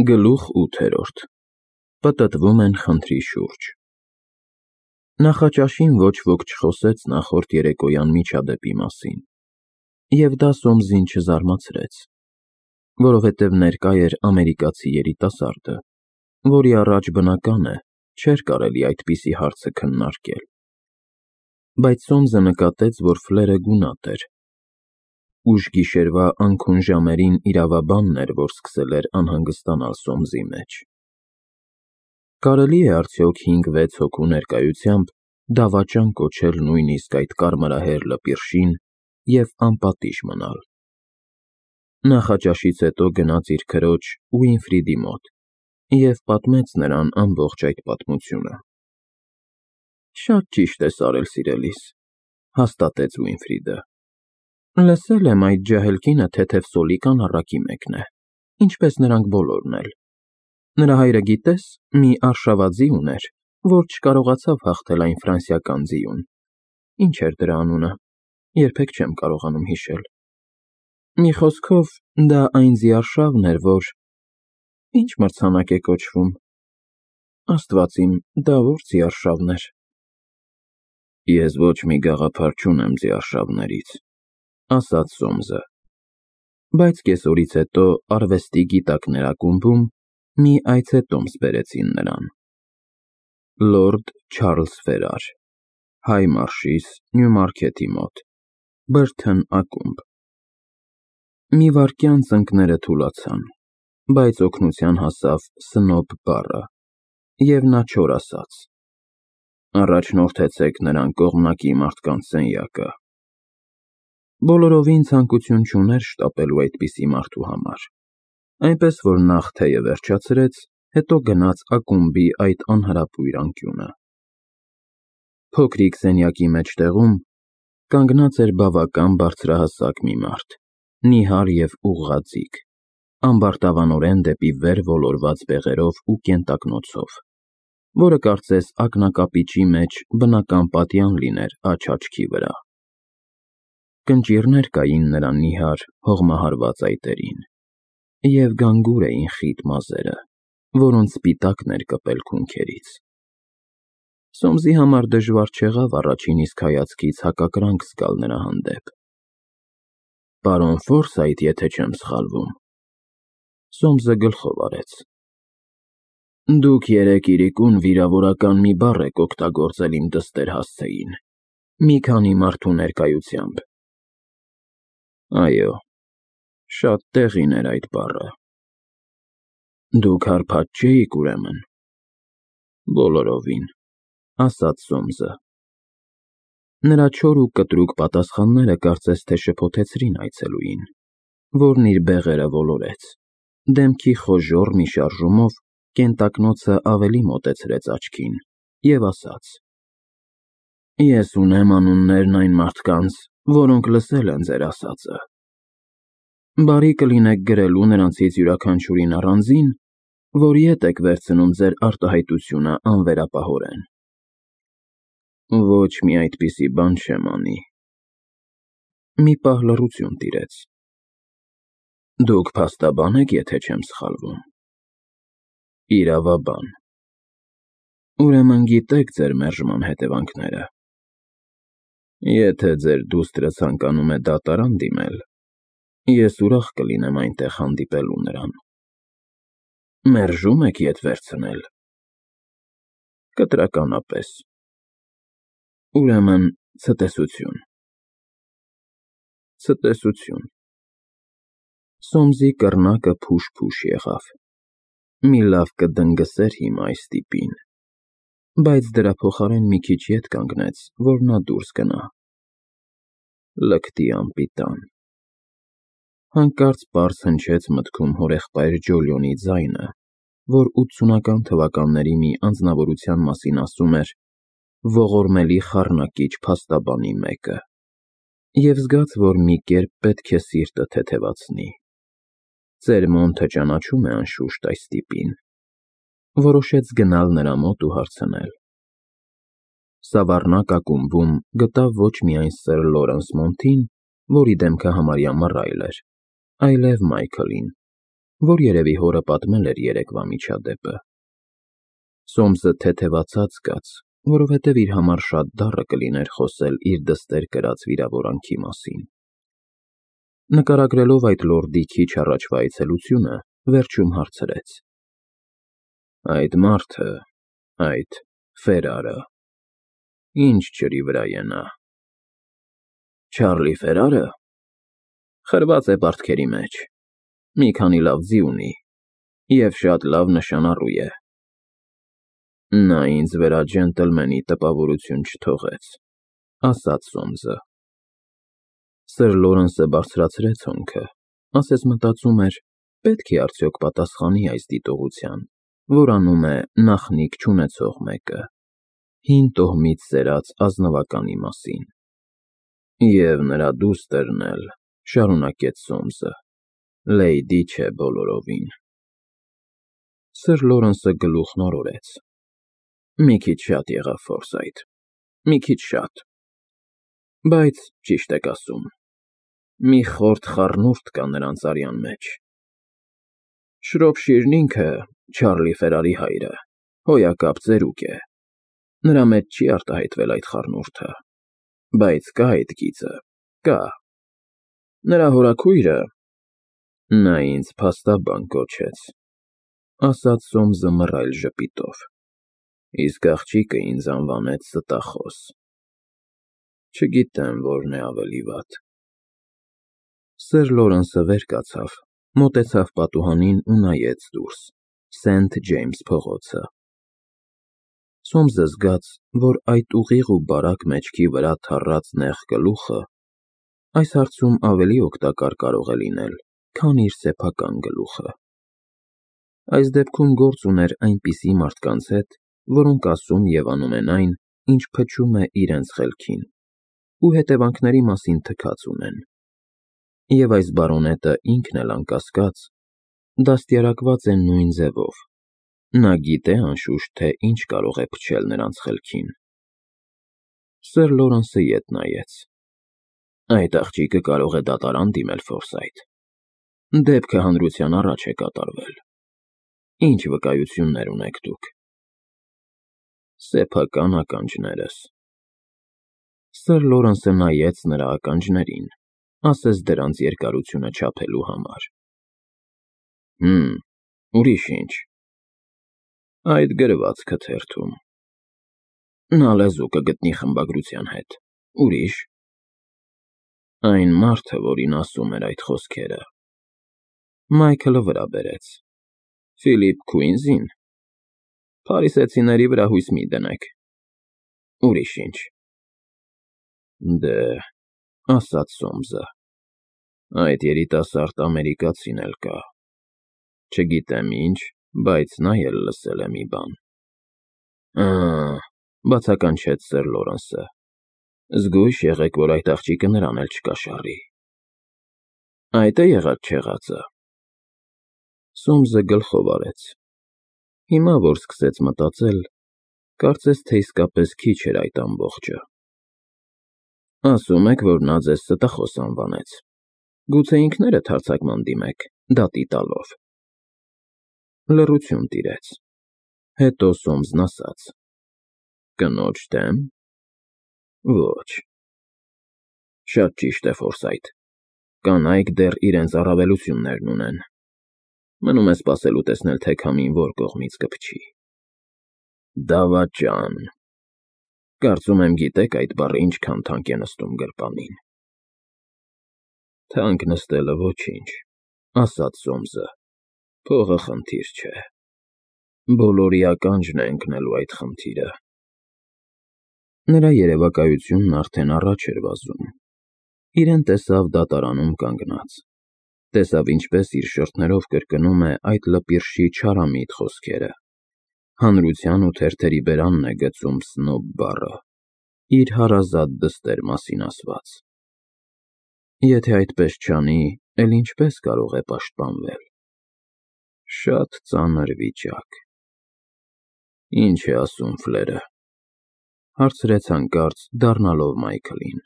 Գլուխ 8. Պտտվում են խնդրի շուրջ։ Նախաճաշին ոչ ոք չխոսեց նախորդ երեկոյան միջադեպի մասին, և դա Սոմսին չզարմացրեց, որովհետև ներկա էր ամերիկացի երիտասարդը, որի առաջ բնական է, չէր կարելի այդպիսի հարցը քննարկել, բայց Սոմսը նկատեց, որ ֆլերը գունատ էր։ Ուշ գիշերվա անքուն ժամերին իրավաբանն էր, որ սկսել էր անհանգստանալ Սոմսի մեջ։ Կարելի է արդյոք 5-6 հոգու ներկայությամբ դավաճան կոչել նույնիսկ այդ կարմրահեր լպիրշին և անպատիժ մնալ։ Նախաճաշից հետո գնաց իր քրոջ Ուինֆրիդի մոտ և պատմեց նրան ամբողջ այդ պատմությունը։ Շատ ճիշտ ես արել, սիրելիս, հաստատեց Ուինֆրիդը։ Լսել եմ այդ ջահել կինը թեթև Սոլիկան առակի մեկն է, ինչպես նրանք բոլորն էլ։ Նրա հայրը, գիտես, մի արշավաձի ուներ, որ չկարողացավ հաղթել այն ֆրանսիական ձիուն։ Ինչ էր դրա անունը, երբեք չեմ կարողանում հիշել։ Մի խոսքով, դա այն ձիարշավն էր, որ… Ինչ մրցանակ է կոչվում։ Աստված իմ, դա ո՞ր ձիարշավն էր։ Ես ոչ մի գաղափար չունեմ ձիարշավներից, ասաց Սոմսը, բայց կեսօրից հետո արվեստի գիտակներ ակումբում մի այցետոմս բերեցին նրան։ Լորդ Չարլզ Ֆերար, Հայ Մարշիս, Նյումարքեթի մոտ, Բրթըն ակումբ։ Մի վայրկյան ծնկները թուլացան, բայց օգնության հասավ սնոբ բառը, և նա չոր ասաց. Առաջնորդեցեք նրան կողմնակի մարդկանց սենյակը։ Բոլորովին ցանկություն չուներ շտապելու այդպիսի մարդու համար, այնպես որ նախ թեյը վերջացրեց, հետո գնաց ակումբի այդ անհրապույր անկյունը։ Փոքրիկ սենյակի մեջտեղում կանգնած էր բավական բարձրահասակ մի մարդ, նիհար և ուղղաձիգ, ամբարտավանորեն դեպի վեր ոլորված բեղերով ու կենտակնոցով, որը կարծես ակնակապիճի մեջ բնական պատյան լիներ աջ աչքի վրա։ Կնճիռներ կային նրա նիհար, հողմահարված այտերին, և գանգուր էին խիտ մազերը, որոնց սպիտակն էր կպել քունքերից։ Սոմսի համար դժվար չեղավ առաջին իսկ հայացքից հակակրանք զգալ նրա հանդեպ։ Պարոն Ֆորսայթ, եթե չեմ սխալվում։ Սոմսը գլխով արեց։ Դուք երեկ իրիկուն վիրավորական մի բառ եք օգտագործել իմ դստեր հասցեին, մի քանի մարդու ներկայությամբ։ Այո, շատ տեղին էր այդ բառը։ Դուք հարբած չէիք, ուրեմն։ Բոլորովին, ասաց Սոմսը։ Նրա չոր ու կտրուկ պատասխանները կարծես թե շփոթեցրին այցելուին, որն իր բեղերը ոլորեց, դեմքի խոժոռ մի շարժումով կենտակնոցը ավելի մոտեցրեց աչքին և ասաց. Ես ունեմ անուններն այն մարդկանց, որոնք լսել են ձեր ասածը։ Բարի կլինեք գրելու նրանցից յուրաքանչյուրին առանձին, որ ետ եք վերցնում ձեր արտահայտությունը անվերապահորեն։ Ոչ մի այդպիսի բան չեմ անի։ Մի պահ լռություն տիրեց։ Դուք փաստաբան եք, եթե չեմ սխալվում։ Իրավաբան։ Ուրեմն գիտեք ձեր մերժման հետևանքները։ Եթե ձեր դուստրը ցանկանում է դատարան դիմել, ես ուրախ կլինեմ այնտեղ հանդիպելու նրան։ Մերժում եք ետ վերցնել։ Կտրականապես։ Ուրեմն ցտեսություն։ Ցտեսություն։ Սոմսի կռնակը փուշ-փուշ եղավ։ Մի լավ կդնգսեր հիմա այս տիպին, բայց դրա փոխարեն մի քիչ ետ կանգնեց, որ նա դուրս գնա։ Լկտի անպիտան։ Հանկարծ պարզ հնչեց մտքում հորեղբայր Ջոլիոնի ձայնը, որ 80-ական թվականների մի անձնավորության մասին ասում էր ողորմելի խառնակիչ փաստաբանի մեկը, և զգաց, որ մի կերպ պետք է սիրտը թեթևացնի։ Ծեր Մոնթը ճանաչում է անշուշտ այս տիպին։ Որոշեց գնալ նրա մոտ ու հարցնել։ Սավառնակ ակումբում գտավ ոչ միայն սըր Լորենս Մոնթին, որի դեմքը համարյա մռայլ էր, այլև Մայքլին, որ երևի հորը պատմել էր երեկվա միջադեպը։ Սոմսը թեթևացած կաց, որովհետև իր համար շատ դառը կլիներ խոսել իր դստեր կրած վիրավորանքի մասին։ Նկարագրելով այդ լորդի քիչ առաջվա այցելությունը, վերջում հարցրեց. Այդ մարդը, այդ Ֆերարը, ինչ ջրի վրա է նա։ Չարլի Ֆերարը խրված է պարտքերի մեջ, մի քանի լավ ձի ունի և շատ լավ նշանառու է։ Նա ինձ վրա ջենտլմենի տպավորություն չթողեց, ասաց Սոմսը։ Սր Լորենսը բարձրացրեց հոնքը, ասես մտածում էր, պետք է արդյոք պատասխանի այս դիտողության, որ անում է նախնիկ չունեցող մեկը, հին տոհմից սերած ազնվականի մասին։ Եվ նրա դուստրն էլ, շարունակեց Սոմսը, լեյդի չէ բոլորովին։ Սր Լորենսը գլուխն օրորեց։ Մի քիչ շատ եղավ, Ֆորսայթ, մի քիչ շատ։ Բայց ճիշտ եք ասում, մի խորթ խառնուրդ կա նրանց արյան մեջ։ Շրոփշիրն ինքը, Չարլի Ֆերարի հայրը, հոյակապ ծերուկ է։ Նրա մեջ չի արտահայտվել այդ խառնուրդը, բայց կա այդ գիծը, կա։ Նրա հորաքույրը… Նա ինձ փաստաբան կոչեց, ասաց Սոմսը մռայլ ժպիտով, իսկ աղջիկը ինձ անվանեց ստախոս։ Չգիտեմ, որն է ավելի վատ։ Սր Լորենսը վեր կացավ, մոտեցավ պատուհանին ու նայեց դուրս, Սենթ Ջեյմս փողոցը։ Սոմսը զգաց, որ այդ ուղիղ ու բարակ մեջքի վրա թառած նեղ գլուխը այս հարցում ավելի օգտակար կարող է լինել, քան իր սեփական գլուխը։ Այս դեպքում գործ ուներ այնպիսի մարդկանց հետ, որոնք ասում և անում են այն, ինչ փչում է իրենց խելքին, ու հետևանքների մասին թքած ունեն։ Եվ այս բարոնետը ինքն էլ անկասկած դաստիարակված է նույն ձևով։ Նա գիտե անշուշտ, թե ինչ կարող է փչել նրանց խելքին։ Սր Լորենսը ետ նայեց։ Այդ աղջիկը կարող է դատարան դիմել, Ֆորսայթ։ Դեպքը հանրության առաջ է կատարվել։ Ինչ վկայություններ ունեք դուք։ Սեփական ականջներս։ Սր Լորենսը նայեց նրա ականջներին, ասես դրանց երկարությունը չափելու համար։ Ուրիշ ինչ։ Այդ գրվածքը թերթում։ Նա լեզու կգտնի խմբագրության հետ։ Ուրիշ։ Այն մարդը, որին ասում էր այդ խոսքերը։ Մայքլը վրա բերեց։ Ֆիլիպ Քուինզին։ Փարիսեցիների վրա հույս մի դնեք։ Ուրիշ ինչ։ Դե, ասաց Սոմսը, այդ երիտասարդ ամերիկացին էլ կա։ Չգիտեմ ինչ, բայց նա էլ լսել է մի բան։ Բացականչեց Սր Լորենսը։ Զգույշ եղեք, որ այդ աղջիկը նրան էլ չկաշառի։ Այդ է եղած չեղածը։ Սոմսը գլխով արեց։ Հիմա, որ սկսեց մտածել, կարծես թե իսկապես քիչ էր այդ ամբողջը։ Ասում եք, որ նա ձեզ ստախոս անվանեց։ Գուցե ինքներդ հարձակման դիմեք, դատի տալով։ Լռություն տիրեց։ Հետո Սոմսն ասաց. Կնոջ դեմ։ Ոչ։ Շատ ճիշտ է, Ֆորսայթ։ Կանայք դեռ իրենց առավելություններն ունեն։ Մնում է սպասելու տեսնել, թե քամին որ կողմից կփչի։ Դավաճան։ Կարծում եմ գիտեք այդ բառը ինչքան թանկ է նստում գրպանին։ Թանկ նստելը ոչինչ, ասաց Սոմսը։ Փողը խնդիր չէ։ Բոլորի ականջն է ընկնելու այդ խնդիրը։ Նրա երևակայությունն արդեն առաջ էր վազում։ Իրեն տեսավ դատարանում կանգնած։ Տեսավ ինչպես իր շրթներով կրկնում է այդ լպիրշի չարամիտ խոսքերը։ Հանրության ու թերթերի բերանն է գցում սնոբ բառը, իր հարազատ դստեր մասին ասված։ Եթե այդպես չանի, էլ ինչպես կարող է պաշտպանվել։ Շատ ծանր վիճակ։ Ինչ է ասում Ֆլերը, հարցրեց հանկարծ, դառնալով Մայքլին։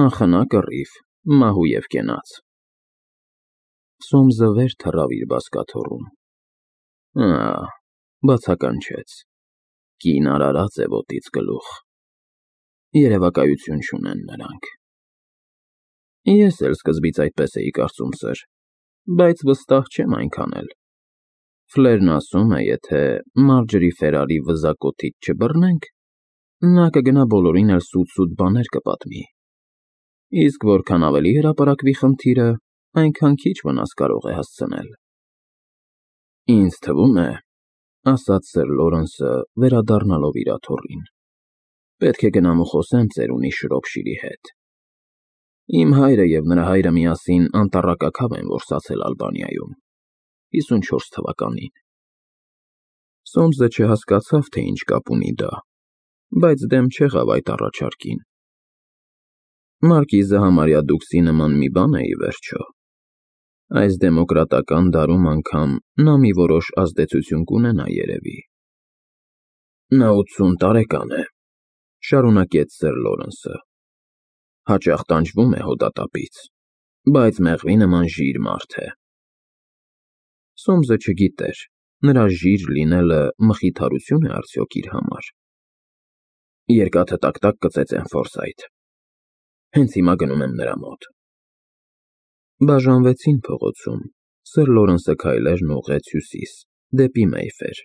Անխնա կռիվ, մահու և կենաց։ Սոմսը վեր թռավ իր բազկաթոռում։ Բացականչեց. կին արարած է ոտից գլուխ։ Երևակայություն չունեն նրանք։ Ես էլ սկզբից այդպես էի կարծում, սըր, բայց վստահ չեմ այնքան էլ։ Ֆլերն ասում է, եթե Մարջերի Ֆերարի վզակոթից չբռնենք, նա կգնա բոլորին էլ սուտ բաներ կպատմի։ Իսկ որքան ավելի հրապարակվի խնդիրը, այնքան քիչ վնաս կարող է հասցնել։ Ինձ թվում է, ասաց սըր Լորենսը, վերադառնալով իր աթոռին, պետք է գնամ ու խոսեմ ծերունի Շրոփշիրի հետ։ Իմ հայրը և նրա հայրը միասին անտառակաքավ են որսացել Ալբանիայում 54 թվականին։ Սոմսը չհասկացավ, թե ինչ կապ ունի դա, բայց դեմ չեղավ այդ առաջարկին։ Մարկիզը համարյա դուքսի նման մի բան է ի վերջո։ Այս դեմոկրատական դարում անգամ նա մի որոշ ազդեցություն կունենա երևի։ Նա 80 տարեկան է, շարունակեց սըր Լորենսը, հաճախ տանջվում է հոդատապից, բայց մեղվի նման ժիր մարդ է։ Սոմսը չգիտեր, նրա ժիր լինելը մխիթարություն է արդյոք իր համար։ Երկաթը տակ կծեծեմ, Ֆորսայթ, հենց հիմա գնում եմ նրա մոտ։ Բաժանվեցին փողոցում, սըր Լորենսը քայլերն ուղղեց հյուսիս, դեպի Մեյֆեր։